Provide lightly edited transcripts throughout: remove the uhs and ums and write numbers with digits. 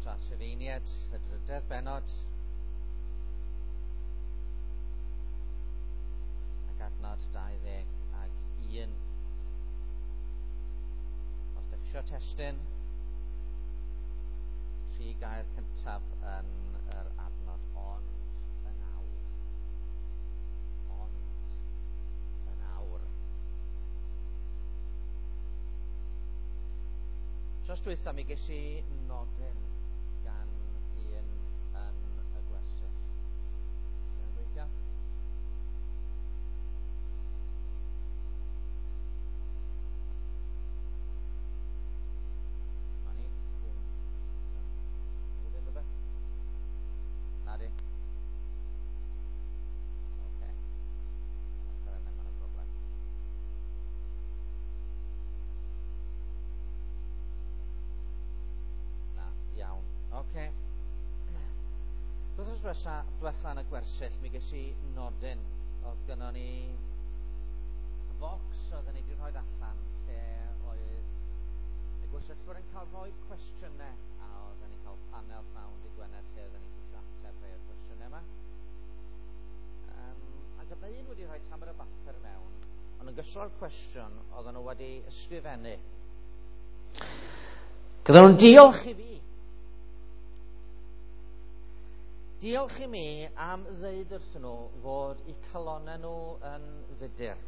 Eto at Rhufeiniaid, y drydedd bennod, ac adnod 21. Os ydych eisiau testun, tri gair cyntaf yn yr adnod, ond yn awr. Ond yn awr. Tros dwytha mi ges i nodyn gan un yn y gwersyll. Ti'n gweithio? Ma ni. Dwi'n Newid unrhyw beth? Na di. Oce. Ochr yna, mae yna broblem. Na, iawn. Oce. Wythnos diwetha, diwetha yn y gwersyll, mi ges i nodyn. Oedd gynnon ni focs oedden ni wedi rhoi allan lle oedd y gwersyllwyr yn cael rhoi cwestiynau a oedden ni'n cael panel pnawn dy Gwener lle oedden ni'n ceisio ateb rhai o'r cwestiynau yma. Ac oedd 'na un wedi rhoi tamed o bapur mewn, ond yn gystal â'r cwestiwn oedden nhw wedi ysgrifennu. Gyda nhw'n diolch i fi. Diolch i mi am ddeud wrthyn nhw fod eu calonnau nhw yn fudur.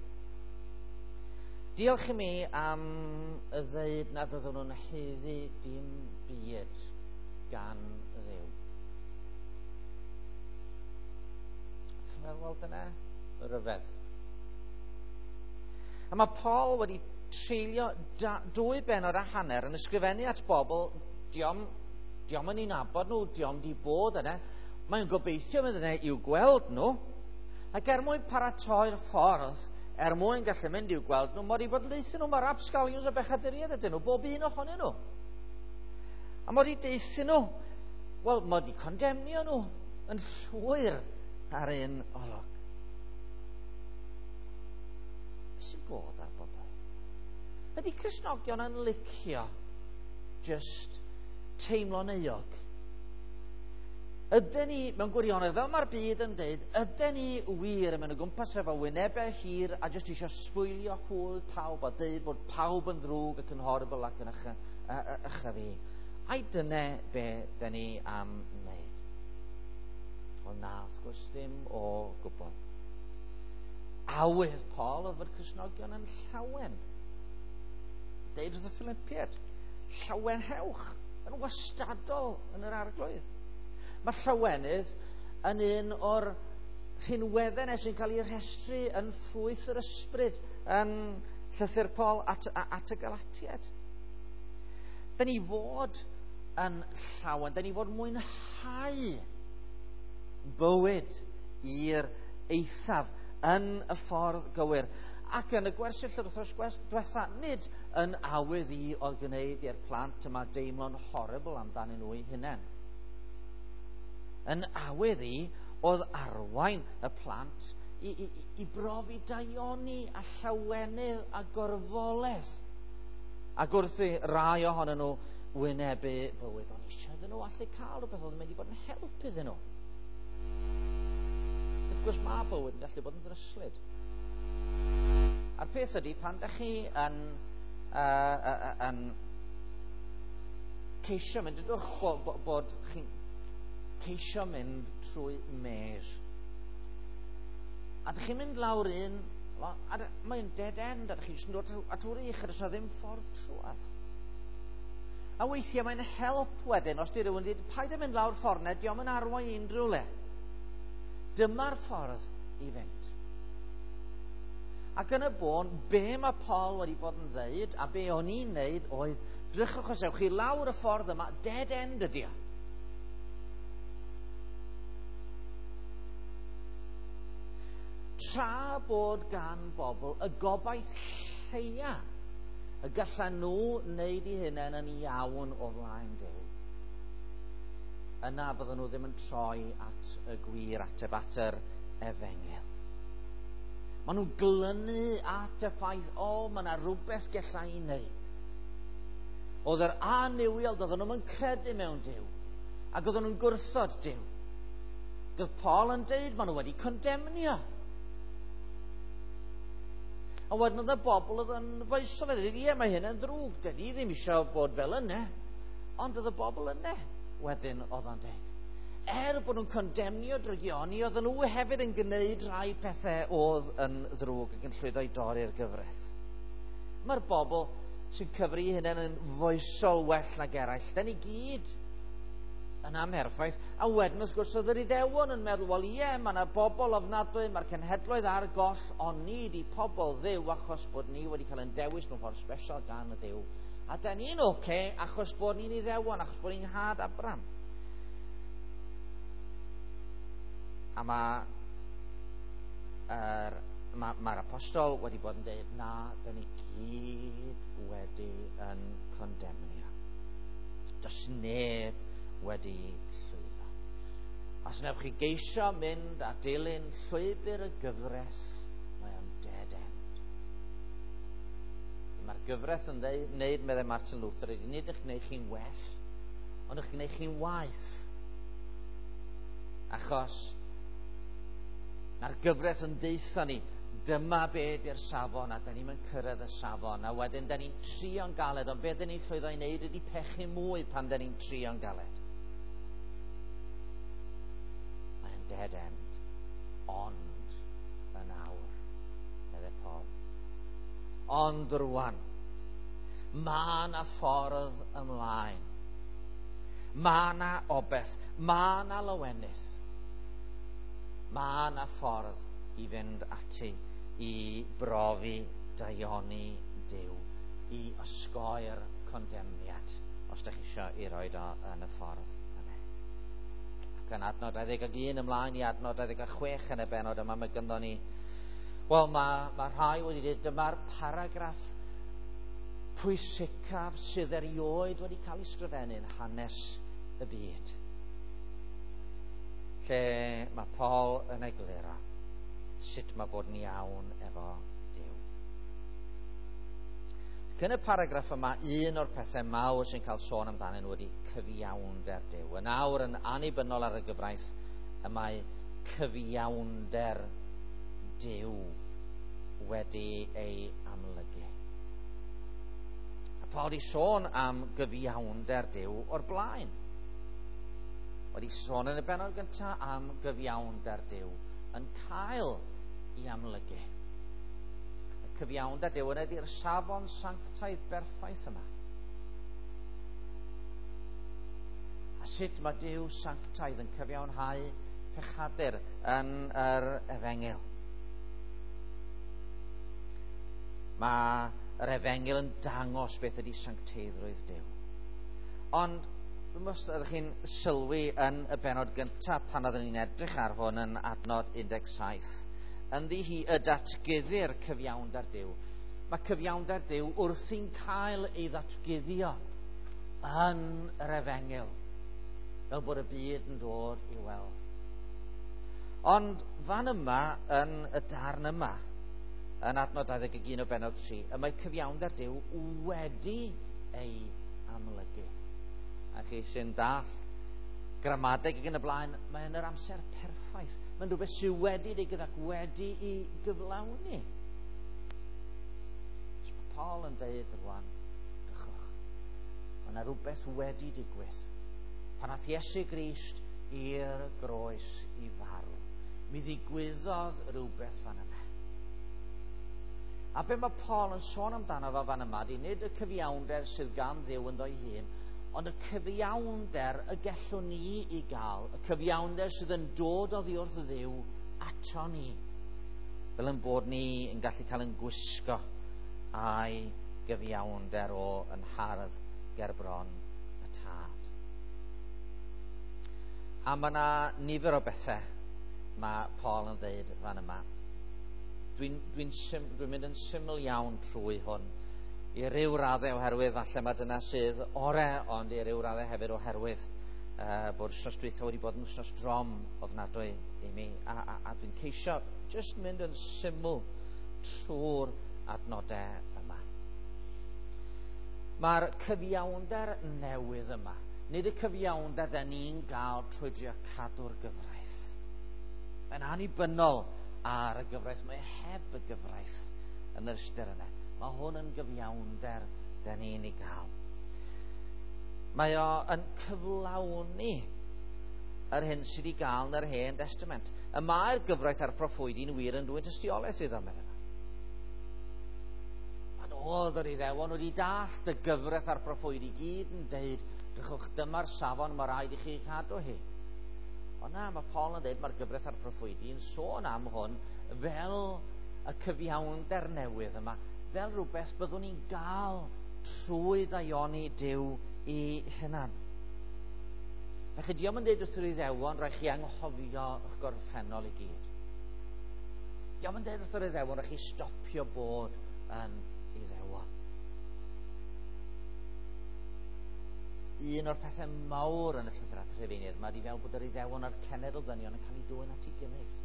Diolch i mi am y ddeud nad oedden nhw'n haeddu dim byd gan Dduw. Chi'n meddwl, wel dyna ryfedd. A mae Paul wedi treulio dwy bennod a hanner yn ysgrifennu at bobl, diom, diom yn ei nabod nhw, diom di bod yna. Mae'n gobeithio mynd yna i'w gweld nhw. Ac er mwyn paratoi'r ffordd, er mwyn gallu mynd i'w gweld nhw, mae wedi bod yn deuthyn nhw, mae rapsgalions o bechaduriaid ydyn nhw, bob un ohonyn nhw. A mae wedi deuthyn nhw, wel, mae wedi condemnio nhw yn llwyr ar un olwg. Beth sy'n bod ar bobl? Ydy Cristnogion yn licio just teimlo'n euog? Ydyn ni, mewn gwirionedd, fel mae'r byd yn deud, ydyn ni wir yn mynd o gwmpas efo wynebau hir a jyst eisiau sbwylio hwyl pawb a deud bod pawb yn ddrwg ac yn horrible ac yn ycha fi. Ai dyna be dyn ni am wneud? Wel na, wrth gwrs ddim o gwbl. Awydd Paul oedd fod Cristnogion yn llawen. Deud wrth y Philippiaid, llawenhewch yn wastadol yn yr Arglwydd. Mae llawenydd yn un o'r rhinweddau yna sy'n cael ei rhestru yn ffrwyth yr ysbryd yn llythyr Paul at y Galatiaid. Dyn ni fod yn llawen, dyn ni fod mwynhau bywyd i'r eithaf yn y ffordd gywir. Ac yn y gwersyll yr wythnos diwetha, nid yn awydd i oedd gwneud i'r plant yma deimlo'n horrible amdanyn nhw eu hunain. Yn awydd i oedd arwain y plant i brofi daioni a llawenydd a gorfoledd. Ac wrth i rai ohonyn nhw wynebu bywyd, o'n eisiau iddyn nhw allu cael rhywbeth oedd yn mynd i fod yn help iddyn nhw. Wrth gwrs, mae bywyd yn gallu bod yn ddryslyd. A'r peth ydy, pan da chi yn ceisio mynd, dydwch bod chi'n ceisio mynd trwy maze. A dych chi'n mynd lawr un, a mae'n dead end, a dych chi'n jyst yn dod at wrych, a does 'na ddim ffordd trwadd. A weithiau mae'n help wedyn, os di rhywun dweud, paid â mynd lawr ffordd na, dio'm yn arwain i unrhyw le. Dyma'r ffordd i fynd. Ac yn y bôn, be mae Paul wedi bod yn ddeud, a be o'n i'n neud, oedd, drychwch os ewch chi lawr y ffordd yma, dead end ydi o. Tra bod gan bobl y gobaith lleia y gallan nhw wneud eu hunain yn iawn o flaen Duw, yna fydden nhw ddim yn troi at y gwir ateb, at yr efengyl. Maen nhw'n glynu at y ffaith, o, mae yna rhywbeth gella i wneud. Oedd yr annuwiol, doedden nhw'n credu mewn Duw. Ac oedden nhw'n gwrthod Duw. Doedd Paul yn deud, maen nhw wedi condemnio. A wedyn oedd y bobl oedd yn foesol yn dweud, ie, mae hyn yn ddrwg, dyn ni ddim eisiau bod fel yna. Ond oedd y bobl yna wedyn oedd o'n dweud. Er bod nhw'n condemnio drygioni, oedden nhw hefyd yn gwneud rhai pethau oedd yn ddrwg ac yn llwyddo i dorri'r gyfraith. Mae'r bobl sy'n cyfri hunain yn foesol well nag eraill, da ni gyd yn amherffaith. A wedyn, wrth gwrs, oedd yr Iddewon yn meddwl, wel ie, mae yna bobl ofnadwy, mae'r cenhedloedd ar goll, ond ni di pobl Dduw achos bod ni wedi cael ein dewis mewn ffordd special gan y Dduw. A da ni'n oce okay, achos bod ni'n Iddewon, achos bod ni'n had Abram. A mae'r ma apostol wedi bod yn dweud, na, da ni gyd wedi yn condemnio. Does neb wedi llwyddo. Os wnewch chi geisio mynd a dilyn llwybr y gyfres, mae o'n dead end. Mae'r gyfraith yn wneud, meddai Martin Luther, ydy nid eich gwneud chi'n well, ond eich gwneud chi'n waeth. Achos mae'r gyfraith yn deutha ni, dyma be di'r safon, a da ni'n mynd cyrraedd y safon, a wedyn da ni'n trio'n galed, ond be da ni'n llwyddo i wneud ydy pechu mwy pan da ni'n trio'n galed. Mae'n dead end, ond yn awr, meddai Paul. Ond rwan, mae yna ffordd ymlaen. Mae yna obeth, mae yna lawenydd. Mae yna ffordd i fynd ati i brofi daioni Duw, i osgoi'r condemniad, os da chi eisiau i roed o yn y ffordd yna. Ac yn adnod 21 ymlaen i adnod 26 yn y benod yma, mae gynddon ni, wel, mae rhai wedi dweud, dyma'r paragraff pwysicaf sydd erioed wedi cael ei sgrifennu yn hanes y byd. Lle mae Paul yn egluro sut mae bod yn iawn efo Duw. Ac yn y paragraff yma, un o'r pethau mawr sy'n cael sôn amdanyn nhw ydy cyfiawnder Duw. Yn awr, yn annibynnol ar y gyfraith, y mae cyfiawnder Duw wedi ei amlygu. A Paul wedi sôn am gyfiawnder Duw o'r blaen. Wedi sôn yn y bennod gyntaf am gyfiawnder Duw yn cael ei amlygu. Y cyfiawnder Duw yn ydy'r safon sanctaidd berffaith yma. A sut mae Duw sanctaidd yn cyfiawnhau pechadur yn yr efengyl. Mae yr efengyl yn dangos beth ydy sancteiddrwydd Duw. Ond dwi'm os ydych chi'n sylwi yn y bennod gyntaf pan oeddwn ni'n edrych ar hwn yn adnod 17. Ynddi hi y datguddir cyfiawnder Duw. Mae cyfiawnder Duw wrthi'n cael ei ddatguddio yn yr efengyl, fel bod y byd yn dod i weld. Ond fan yma, yn y darn yma, yn adnod 21 o bennod 3, y mae cyfiawnder Duw wedi ei amlygu. A chi sy'n dall gramadeg ac yn y blaen, mae yn yr amser perffaith. Mae'n rhywbeth sydd wedi digwydd ac wedi i gyflawni. So mae Paul yn deud rwan, dychwch, mae yna rhywbeth wedi digwydd. Pan ath Iesu Grist i'r groes i farw, mi ddigwyddodd rhywbeth fan yna. A be mae Paul yn sôn amdano fo fan yma, di nid y cyfiawnder sydd gan Dduw ynddo'i hun, ond y cyfiawnder y gellwn ni i gael, y cyfiawnder sydd yn dod oddi wrth Dduw ato ni, fel yn bod ni yn gallu cael yn gwisgo a'i gyfiawnder o yn hardd ger bron y Tad. A mae yna nifer o bethau mae Paul yn dweud fan yma. Dwi'n mynd yn syml iawn trwy hwn. I ryw raddau oherwydd falle mae dyna sydd ore, ond i ryw raddau hefyd oherwydd bod wythnos dwytha wedi bod yn wythnos drom ofnadwy i mi. A dwi'n ceisio jyst mynd yn syml trwy'r adnodau yma. Mae'r cyfiawnder newydd yma Nid y cyfiawnder da ni'n gael trwy drio cadw'r gyfraith. Mae'n annibynnol ar y gyfraith. Mae heb y gyfraith yn yr ystyr yna. Mae hwn yn gyfiawnder da ni'n ei gael. Mae o yn cyflawni yr hyn sydd wedi gael yn yr Hen Testament. Y mae'r gyfraith a'r proffwydi'n wir yn dwyn tystiolaeth iddo, meddai. Pan oedd yr Iddewon wedi dallt y gyfraith a'r proffwydi gyd yn deud, drychwch, dyma'r safon mae rhaid i chi cadw hi. Ond na, mae Paul yn dweud mae'r gyfraith a'r proffwydi yn sôn am hwn fel y cyfiawnder newydd yma, fel rhywbeth byddwn ni'n gael trwy ddaioni Duw i hunan. Felly diolch yn dweud wrth yr Iddewon, rhaid chi anghofio eich gorffennol i gyd. Diolch yn dweud wrth yr Iddewon, rhaid chi stopio bod yn Iddewon. Un o'r pethau mawr yn y llythyr at y Rhufeiniaid yma ydy fel bod yr Iddewon a'r cenedl ddynion yn cael eu dwyn at ei gilydd.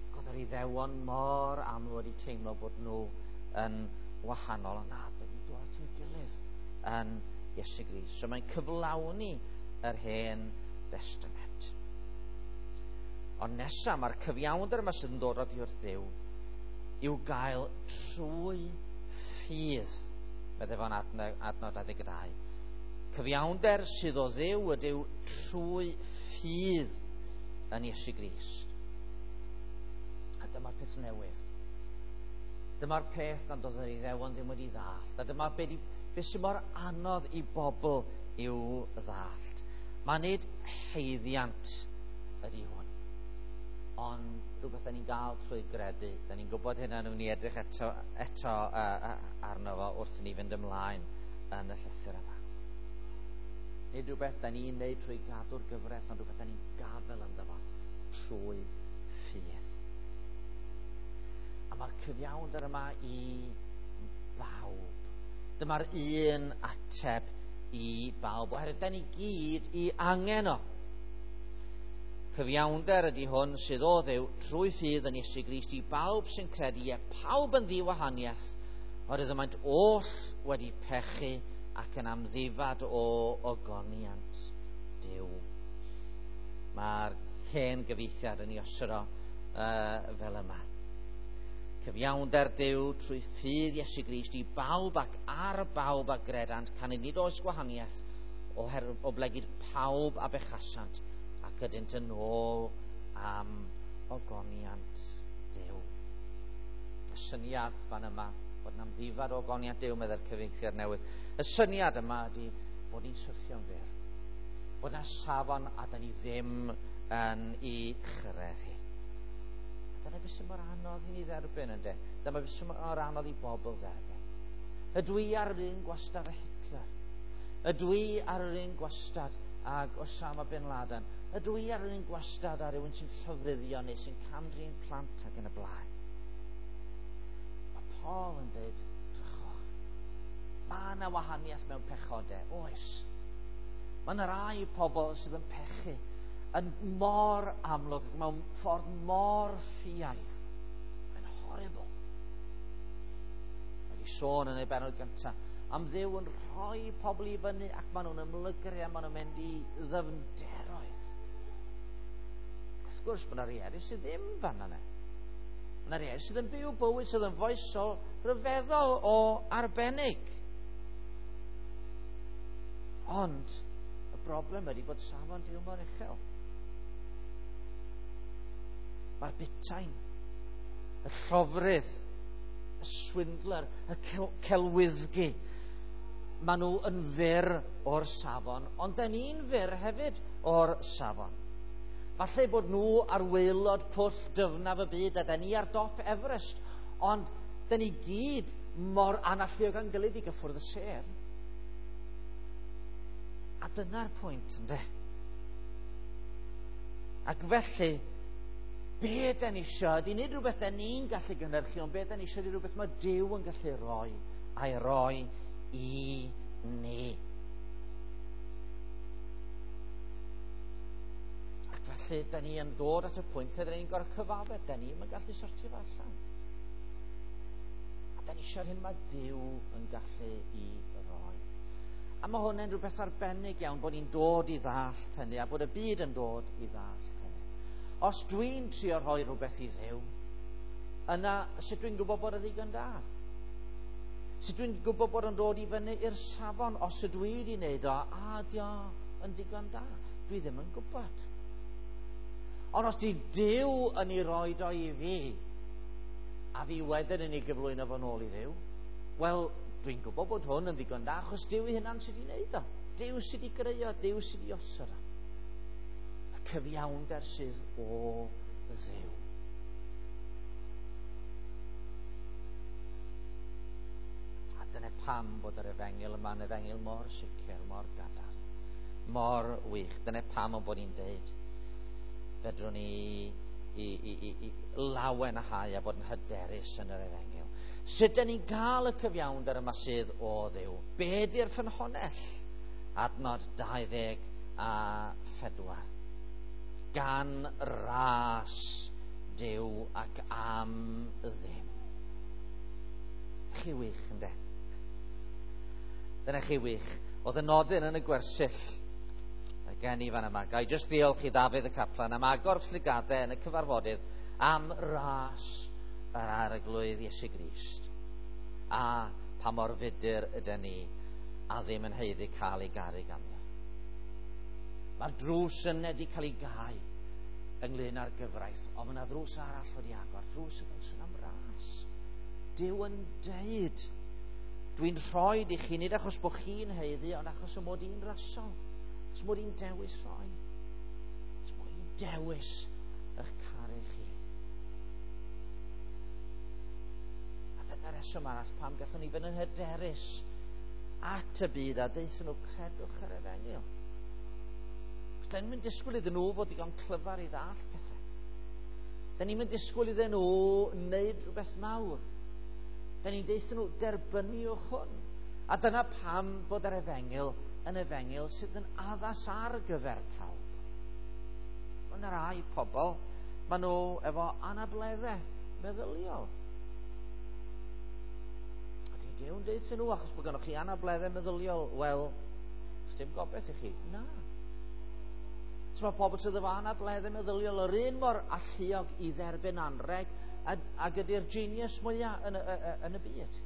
Ac oedd yr Iddewon mor aml wedi teimlo bod nhw yn wahanol, ond na, bod nhw'n dod at ei gilydd yn Iesu Grist. So mae'n cyflawni yr Hen Testament. Ond nesaf, mae'r cyfiawnder yma sydd yn dod oddi wrth Dduw i'w gael trwy ffydd, meddai fo'n adnod 22. Cyfiawnder sydd o Dduw ydyw trwy ffydd yn Iesu Grist. A dyma'r peth newydd. Dyma'r peth nad oedd yr Iddewon ddim wedi ddallt. A dyma beth sy'n mor anodd i bobl i'w ddallt. Mae nid haeddiant ydy hwn, ond rhywbeth da ni'n gael trwy gredu. Da ni'n gwybod hynna, nhw'n ni edrych eto arno fo wrth i ni fynd ymlaen yn y llythyr yma. Nid rhywbeth da ni'n neud trwy gadw'r gyfraith, ond rhywbeth da ni'n gafel ynddo fo trwy ffydd. A mae'r cyfiawnder yma i bawb. Dyma'r un ateb i bawb, oherwydd da ni gyd i angen o. Cyfiawnder ydy hwn sydd o Dduw trwy ffydd yn Iesu Grist i bawb sy'n credu, ie pawb yn ddiwahaniaeth, oherwydd y maent oll wedi pechu ac yn amddifad o ogoniant Duw. Mae'r hen gyfieithiad yn ei osod o fel yma. Cyfiawnder Duw trwy ffydd Iesu Grist i bawb ac ar bawb a gredant, canys nid oes gwahaniaeth oherwydd oblegid pawb a bechasant ac ydynt yn ôl am ogoniant Duw. Y syniad fan yma, bod yn amddifad o ogoniant Duw, meddai'r cyfieithiad newydd. Y syniad yma ydy bod ni'n syrthio'n fyr. Bod yna safon a da ni ddim yn ei chyrraedd hi. A dyna beth sy'n mor anodd i ni dderbyn, ynde? Dyma beth sy'n mor anodd i bobl dderbyn. Ydw i ar yr un gwastad â Hitler? Ydw i ar yr un gwastad ag Osama Bin Laden? Ydw i ar yr un gwastad â rhywun sy'n llofruddio neu sy'n cam-drin plant ac yn y blaen? Mae Paul yn dweud, drychwch, mae yna wahaniaeth mewn pechodau, oes. Mae yna rai pobl sydd yn pechu yn mor amlwg, mewn ffordd mor ffiaidd. Mae'n horrible. Mae wedi sôn yn ei bennod gyntaf am Dduw yn rhoi pobl i fyny ac maen nhw'n ymlygru a maen nhw'n mynd i ddyfnderoedd. Wrth gwrs, mae yna rhai eraill sydd ddim fan yna. Mae yna rhai eraill sydd yn byw bywyd sydd yn foesol rhyfeddol o arbennig. Ond y broblem ydy bod safon Duw mor uchel. Mae'r butain, y llofrudd, y swindler, y celwyddgi, maen nhw yn fyr o'r safon, ond da ni'n fyr hefyd o'r safon. Falle bod nhw ar waelod pwll dyfnaf y byd a da ni ar dop Everest, ond da ni gyd mor analluog â'n gilydd i gyffwrdd y sêr. A dyna'r pwynt, ynde? Ac felly, be da ni isio ydy nid rhywbeth da ni'n gallu gynhyrchu, ond be da ni isio ydy rhywbeth mae Duw yn gallu rhoi, a'i roi i ni. Ac felly, da ni yn dod at y pwynt lle da ni'n gorfod cyfaddef, da ni'm yn gallu sortio fo allan. A da ni eisiau'r hyn mae Duw yn gallu i roi. A A mae hwn yn rhywbeth arbennig iawn bod ni'n dod i ddallt hynny a bod y byd yn dod i ddallt hynny. Os dwi'n trio rhoi rhywbeth i Dduw, yna sut dwi'n gwybod bod y ddigon da? Sut dwi'n gwybod bod o'n dod i fyny i'r safon os ydw i wedi wneud o, a dio yn ddigon da? Dwi ddim yn gwybod. Ond os di Duw yn ei roed o i fi, a fi wedyn yn ei gyflwyno fo'n ôl i Dduw, wel, dwi'n gwybod bod hwn yn ddigon da, achos Duw ei hunan sydd wedi wneud o. Duw sydd wedi greu o, Duw sydd wedi osod o. Y cyfiawnder sydd o Dduw. A dyna pam bod yr efengyl yma'n efengyl mor sicr, mor gadarn, mor wych. Dyna pam o'n bod ni'n deud, fedrwn ni i, i, i, i lawen a hau a bod yn hyderus yn yr efengyl. Sut dyn ni'n cael y cyfiawnder yma sydd o Dduw? Be di'r ffynhonnell? Adnod 24. Gan ras Duw ac am ddim. Chi wych, ynddo? Dyna chi wych. Oedd y nodyn yn y gwersyll gen i fan yma. Ga i jyst ddiolch i Ddafydd y Caplan am agor llygadau yn y cyfarfodydd am ras yr Arglwydd Iesu Grist. A pa mor fudur ydyn ni a ddim yn haeddu cael ei garu ganddo. Mae'r drws yn wedi cael ei gau ynglyn â'r gyfraith, ond mae yna ddrws arall wedi agor, drws y drws yn am ras. Duw yn deud, dwi'n rhoi i chi, nid achos bod chi'n haeddu, ond achos y mod i'n rasol. Achos mod i'n dewis rhoi. Achos mod i'n dewis eich caru chi. A dyna'r reswm arall pam gallwn ni fynd yn hyderus at y byd a deuthon nhw credwch yr efengyl. Os da ni'n mynd disgwyl iddyn nhw fod digon clyfar i ddall pethau. Da ni'n mynd disgwyl iddyn nhw wneud rhywbeth mawr. Da ni'n deuthon nhw derbyniwch hwn. A dyna pam bod yr efengyl yn efengyl sydd yn addas ar gyfer pawb. Mae yna rai pobl, maen nhw efo anableddau meddyliol. A di Duw'n deud nhw, achos bod gennych chi anableddau meddyliol, wel, dim gobeith i chi. Na. So mae pobl sydd efo anableddau meddyliol yr un mor alluog i dderbyn anreg ag ydy'r genius mwyaf yn y, yn y byd.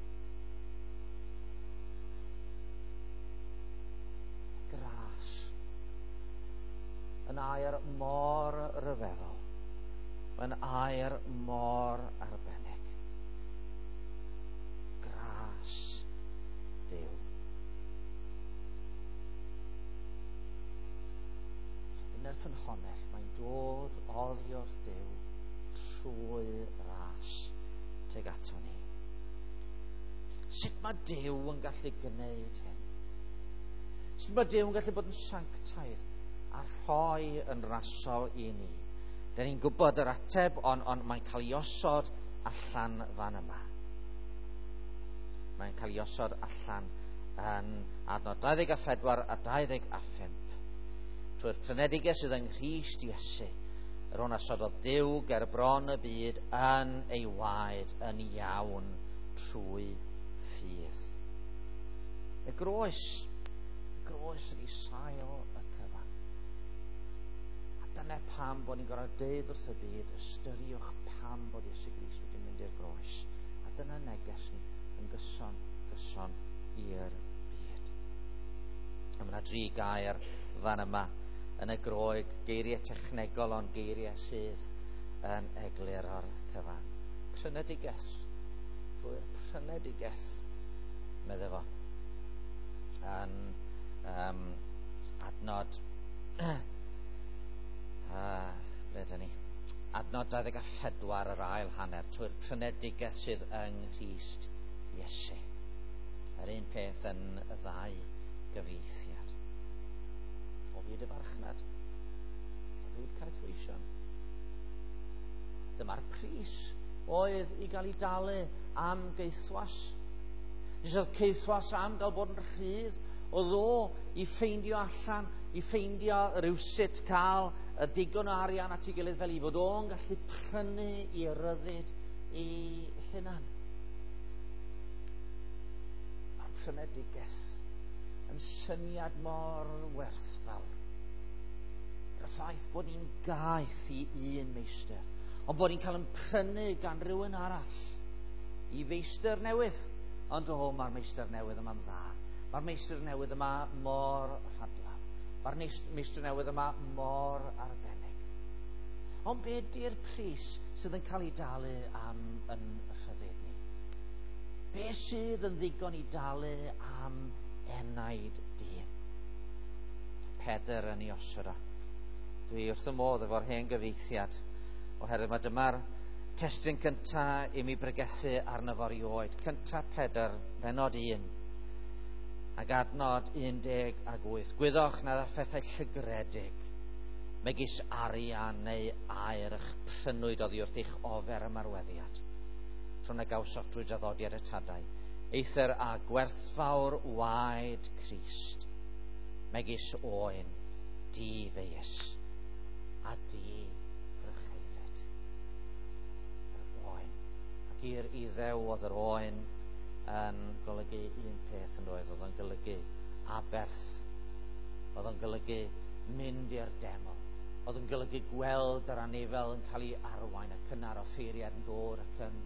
Gras yn air mor ryfeddol. Mae'n air mor arbennig. Gras Duw. Dyna'r ffynhonnell, mae'n dod oddi wrth Duw trwy ras tuag ato ni. Sut mae Duw yn gallu gwneud hyn? Sut mae Duw yn gallu bod yn sanctaidd a rhoi yn rasol i ni? Da ni'n gwybod yr ateb, ond on, mae'n cael ei osod allan fan yma. Mae'n cael ei osod allan yn adnod 24 a 25. Trwy'r prynedigaeth sydd yng Nghrist Iesu, yr hwn a sododd Duw ger bron y byd yn ei waed yn iawn trwy ffydd. Y groes ydy sail y cyfan. A dyna pam bod ni'n gorfod deud wrth y byd, ystyriwch pam bod Iesu Grist wedi mynd i'r groes. A dyna neges ni yn gyson, gyson i'r byd. A mae yna dri gair fan yma yn y Groeg, geiriau technegol ond geiriau sydd yn egluro'r cyfan. Prynedigaeth. Drwy'r prynedigaeth, medde fo. Yn adnod ble ydyn ni? Adnod 24 yr ail hanner, trwy'r prynedigaeth sydd yng Nghrist Iesu. Yr un peth yn y ddau gyfieithiad. O fyd y farchnad, o fyd caethweision. Dyma'r pris oedd i gael ei dalu am geithwas. Nes oedd caethwas am gael bod yn rhydd, oedd o i ffeindio allan, i ffeindio rhywsut cael y digon o arian at ei gilydd fel i fod o'n gallu prynu i ryddid i hunan. Mae'r prynedigaeth yn syniad mor werthfawr. Y ffaith bod ni'n gaeth i un meistr, ond bod ni'n cael yn prynu gan rhywun arall i feistr newydd. Ond o, mae'r meistr newydd yma'n dda. Mae'r meistr newydd yma mor rhadlaw. Mae'r meistr newydd yma mor arbennig. Ond be di'r pris sydd yn cael ei dalu am yn rhyddid ni? Be sydd yn ddigon i dalu am enaid dyn? Pedr yn ei osod o. Dwi wrth y modd efo'r hen gyfieithiad, oherwydd mae dyma'r testun cynta i mi bregethu arno fo erioed. Cynta Pedr, benod 1, ac adnod 18. Gwyddoch nad â phethau llygredig, megis arian neu aur eich prynwyd oddi wrth eich ofer ymarweddiad, tro na gawsoch drwy draddodiad y tadau, eithr a gwerthfawr waed Crist, megis oen, di-feius a di-frycheulyd. Yr oen. Ac i'r Iddew oedd yr oen yn golygu un peth yn oedd, oedd o'n golygu aberth, oedd o'n golygu mynd i'r deml, oedd yn golygu gweld yr anifel yn cael ei arwain ac yna'r offeiriad yn dod ac yn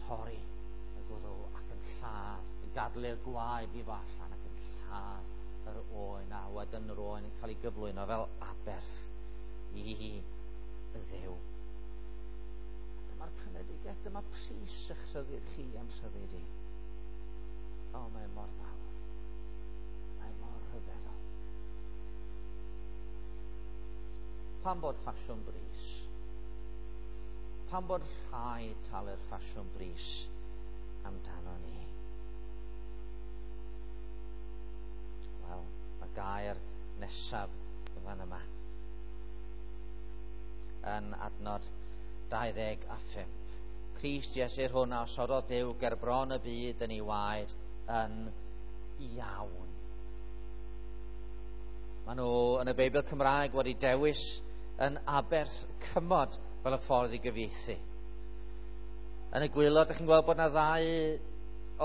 torri y gwddw ac yn lladd, yn gadlu'r gwaed i fo allan ac yn lladd yr oen, a wedyn yr oen yn cael ei gyflwyno fel aberth i Dduw. Dyma'r prynedigaeth, dyma pris eich rhyddid chi am rhyddid i. O, mae mor fawr. Mae mor rhyfeddol. Pam bod ffasiwn bris? Pam bod rhaid talu'r ffasiwn bris amdano ni? Wel, mae gair nesaf fan yma yn adnod 25. Crist Iesu'r hwn a osododd Duw ger bron y byd yn ei waed yn iawn. Maen nhw yn y Beibl Cymraeg wedi dewis yn aberth cymod fel y ffordd i gyfieithu. Yn y gwaelod, ydych chi'n gweld bod yna ddau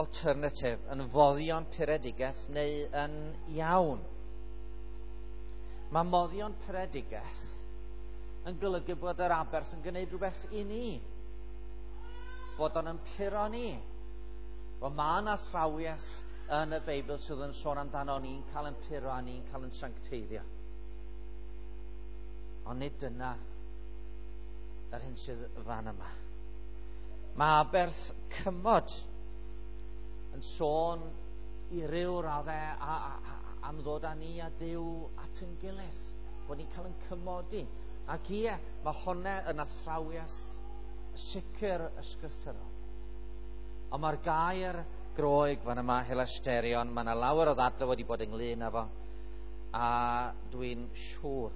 alternative, yn foddion puredigaeth neu yn iawn. Mae moddion puredigaeth yn golygu bod yr aberth yn gwneud rhywbeth i ni. Bod o'n yn puro ni. Wel, mae yna athrawiaeth yn y Beibl sydd yn sôn amdano ni'n cael yn puro a ni'n cael yn sancteiddio. Ond nid dyna yr hyn sydd fan yma. Mae aberth cymod yn sôn i ryw raddau am ddod â ni a Duw at yn gilydd, bod ni'n cael yn cymodi. Ac ie, mae hwnna yn athrawiaeth sicr ysgrythurol. Ond mae'r gair Groeg fan yma, hilasterion, mae yna lawer o ddadlau wedi bod ynglyn â fo, a dwi'n siŵr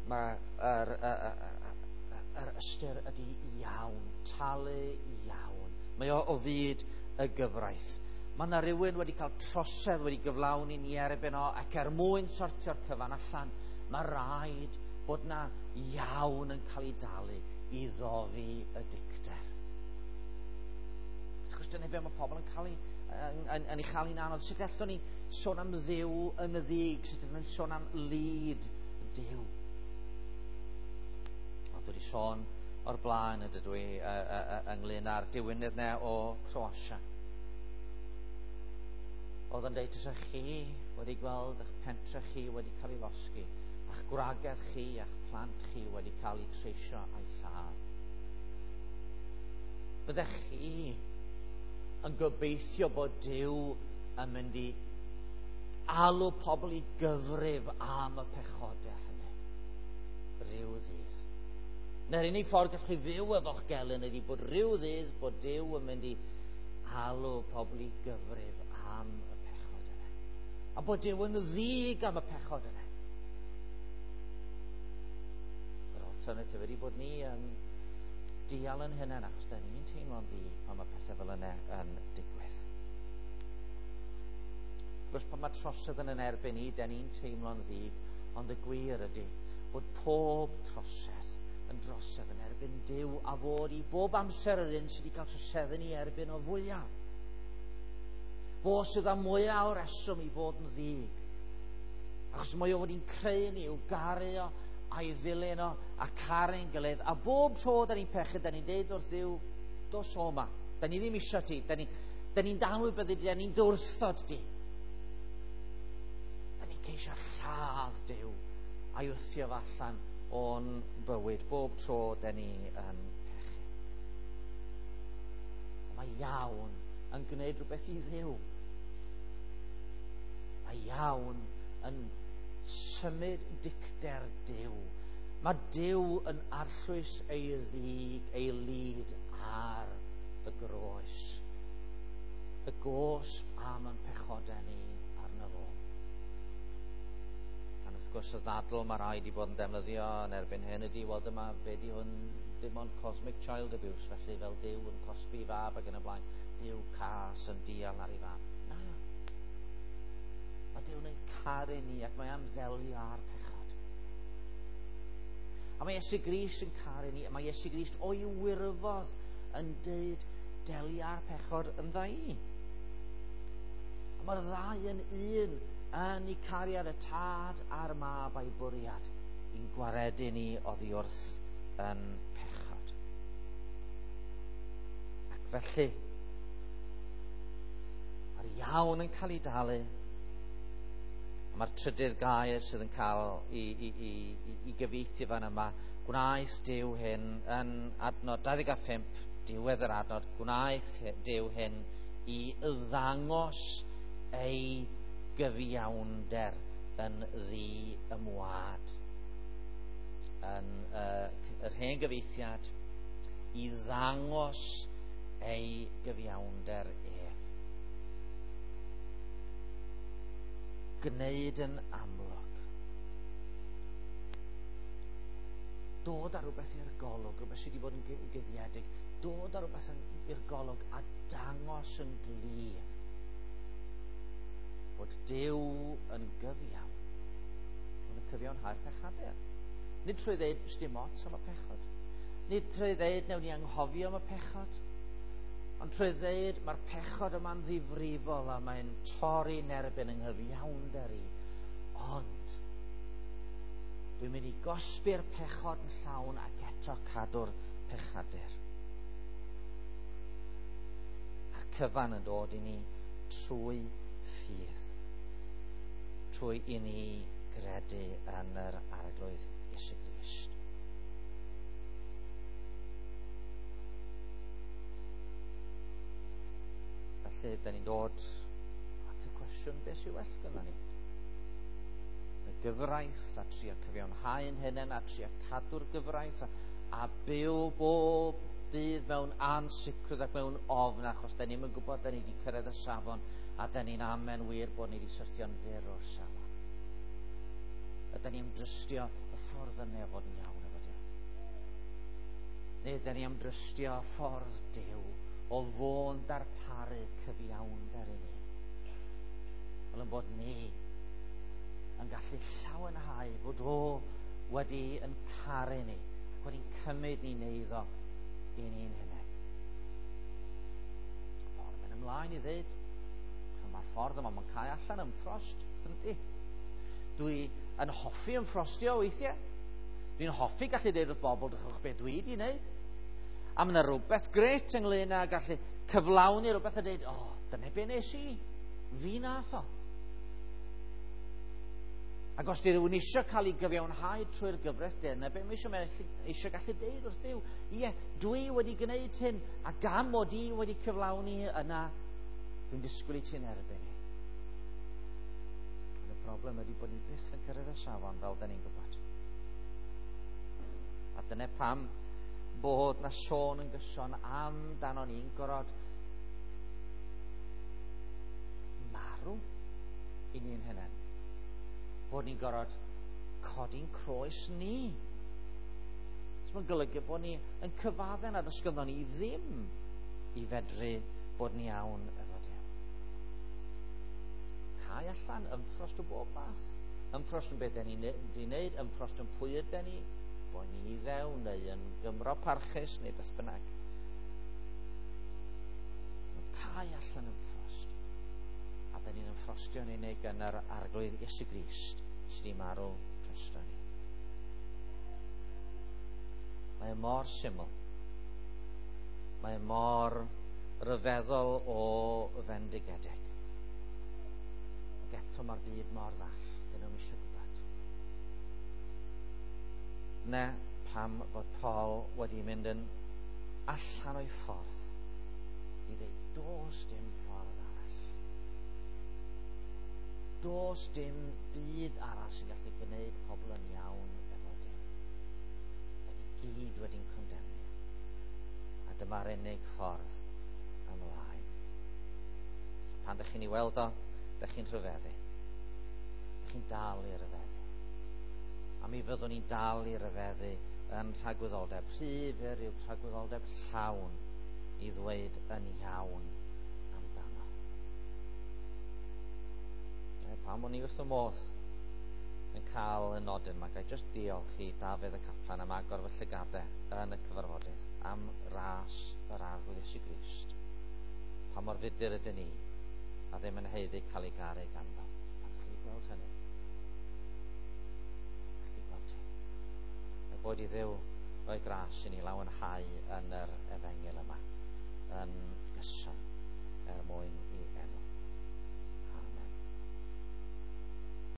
mae yr ystyr ydy iawn, talu iawn. Mae o fyd y gyfraith. Mae yna rhywun wedi cael trosedd wedi gyflawni ni erbyn o, ac er mwyn sortio'r cyfan allan, mae rhaid bod yna iawn yn cael ei dalu i ddofi y dicter. Wrth gwrs, dyna be mae pobl yn cael ei, yn ei chael hi'n anodd. Sut allwn ni sôn am Dduw yn y ddig? Sut allwn ni sôn am lid Duw? Ond dwi wedi sôn o'r blaen ydw i ynglyn â'r diwynydd ne o Croatia. Oedd yn deud, os chi wedi gweld eich pentre chi wedi cael ei losgi, a'ch gwragedd chi a'ch plant chi wedi cael eu treisio a'i lladd. Byddech chi yn gobeithio bod Duw yn mynd i alw pobl i gyfrif am y pechodau hynny rhyw ddydd. Neu'r unig ffordd gallwch chi fyw efo'ch gelyn ydy bod rhyw ddydd bod Duw yn mynd i alw pobl i gyfrif am y pechod yna. A bod Duw yn ddig am y pechod yna. Yr alternative ydy bod ni yn dial yn hynny, achos da ni'n teimlo'n ddig pan mae pethau fel yna yn digwydd. Wrth gwrs, pan mae trosedd yn erbyn ni, da ni'n teimlo'n ddig, ond y gwir ydy bod pob trosedd yn drosedd yn erbyn Duw, a fod i bob amser yr un sydd wedi cael trosedd yn ei erbyn o fwyaf. Fo sydd â mwyaf o reswm i fod yn ddig. Achos mae o wedi'n creu ni i'w garu o a'i ddilyn o a caru'n gilydd. A bob tro da ni'n pechu, da ni'n deud wrth Dduw, dos o 'ma. Da ni ddim isio ti. Da ni'n danwybyddu di, da ni'n dwrthod di. Da ni'n ceisio lladd Duw a'i wthio fo allan o'n bywyd bob tro da ni yn pechu. Mae iawn yn gwneud rhywbeth i Dduw. Mae iawn yn symud dicter Duw. Mae Duw yn arllwys ei ddig, ei lid ar y groes. Y gosb am ein pechodau ni arno fo. A wrth gwrs y ddadl mae rhaid i bod yn defnyddio yn erbyn hyn ydy, wel dyma, be di hwn, dim ond cosmic child abuse, felly fel Duw yn cosbi fab ac yn y blaen, Duw cas yn dial ar ei fab. Na. Mae Duw'n ein caru ni ac mae am ddelio â'r pechod. A mae Iesu Grist yn caru ni, a mae Iesu Grist o'i wirfodd yn deud delio â'r pechod yn dda i. A mae'r ddau yn un yn eu cariad y tad a'r mab a'i bwriad i'n gwaredu ni oddi wrth yn pechod. Ac felly, mae'r iawn yn cael ei dalu. A mae'r trydydd gair sydd yn cael i gyfieithu fan yma, gwnaeth Duw hyn yn adnod 25, diwedd yr adnod, gwnaeth Duw hyn i ddangos ei gyfiawnder yn ddi-ymwad. Yn yr hen gyfieithiad, i ddangos ei gyfiawnder ef. Gwneud yn amlwg. Dod â rhywbeth i'r golwg, rhywbeth sydd wedi bod yn guddiedig, dod â rhywbeth i'r golwg a dangos yn glir bod Duw yn gyfiawn. Mae'n cyfiawnhau'r pechadur. Nid trwy ddeud sdim ots am y pechod. Nid trwy ddeud newn ni anghofio am y pechod. Ond trwy ddeud mae'r pechod yma'n ddifrifol a mae'n torri'n erbyn yng nghyfiawnder i. Ond dwi'n mynd i gosbi'r pechod yn llawn ac eto cadw'r pechadur. A'r cyfan yn dod i ni trwy ffydd. Trwy i ni gredu yn yr Arglwydd Iesu Grist. Felly, da ni'n dod at y cwestiwn, beth sy'n well gyda ni? Y gyfraith a trio cyfiawnhau'n hunain a trio cadw'r gyfraith a byw bob dydd mewn ansicrwydd ac mewn ofn, achos da ni'm yn gwybod da ni wedi cyrraedd y safon a da ni'n amen wir bod ni wedi syrthio'n fyr o'r safon. Ydy ni am drystio y ffordd yna o fod yn iawn efo Duw? Neu ydy ni am drystio ffordd Duw o fo'n darparu cyfiawnder i ni? Fel yn bod ni yn gallu llawenhau fod o wedi yn caru ni ac wedi'n cymryd ni'n eiddo i ni'n hunain. Paul yn mynd ymlaen i ddweud, mae'r ffordd yma, mae'n cael allan ymffrost, yndi? Dwi yn hoffi ymffrostio weithiau. Dwi'n hoffi gallu dweud wrth bobl, drychwch beth dwi wedi wneud. A mae yna rhywbeth gret ynglyn â gallu cyflawni rhywbeth a dweud, o, dyna be nes i, fi nath o. Ac os di rhywun eisiau cael ei gyfiawnhau trwy'r gyfraith, dyna be mae eisiau, mae eisiau gallu deud wrth Dduw, ie, dwi wedi gwneud hyn, a gan mod i wedi cyflawni yna, dwi'n disgwyl i ti'n erbyn i. Ond y broblem ydy bod ni byth yn cyrraedd y safon fel da ni'n gwybod. A dyna pam bod na sôn yn gyson amdano ni'n gorfod marw i ni'n hunain. Bod ni'n gorfod codi'n croes ni. So mae'n golygu bod ni yn cyfadde nad oes ganddo ni ddim i fedru bod ni iawn efo Duw. Cau allan ymffrost o bob math. Ymffrost yn beth da ni'n di wneud, ymffrost yn pwy ydy ni, bod ni'n Iddew neu yn Gymro parchus neu beth bynnag. Cau allan ymffrost. Da ni'n ymffrostio'n unig yn yr Arglwydd Iesu Grist sydd wedi marw drosto ni. Mae e mor syml. Mae e mor ryfeddol o fendigedig. Ac eto mae'r byd mor ddall. Dyn nhw'n eisiau gwybod. Ne pam fod Paul wedi mynd yn allan o'i ffordd i ddweud, does dim ffordd arall. Does dim byd arall sy'n gallu gwneud pobl yn iawn efo Duw. Da ni gyd wedi'n condemnio. A dyma'r unig ffordd ymlaen. Pan ydych chi'n ei weld o, ydych chi'n rhyfeddu. Ydych chi'n dal i ryfeddu. A mi fyddwn ni'n dal i ryfeddu yn tragwyddoldeb. Rhy fyr yw tragwyddoldeb llawn i ddweud yn iawn amdano. Pam o'n i wrth y modd yn cael y nodyn yma, gai jyst diolch i Dafydd y Caplan am agor fy llygadau yn y cyfarfodydd am ras yr Arglwydd Iesu Grist. Pa mor fudur ydyn ni a ddim yn haeddu cael ei garu ganddo. Pan ydych chi wedi gweld hynny? Chi wedi gweld hi. A bod i Dduw roi gras i ni lawenhau yn yr efengyl yma yn gyson er mwyn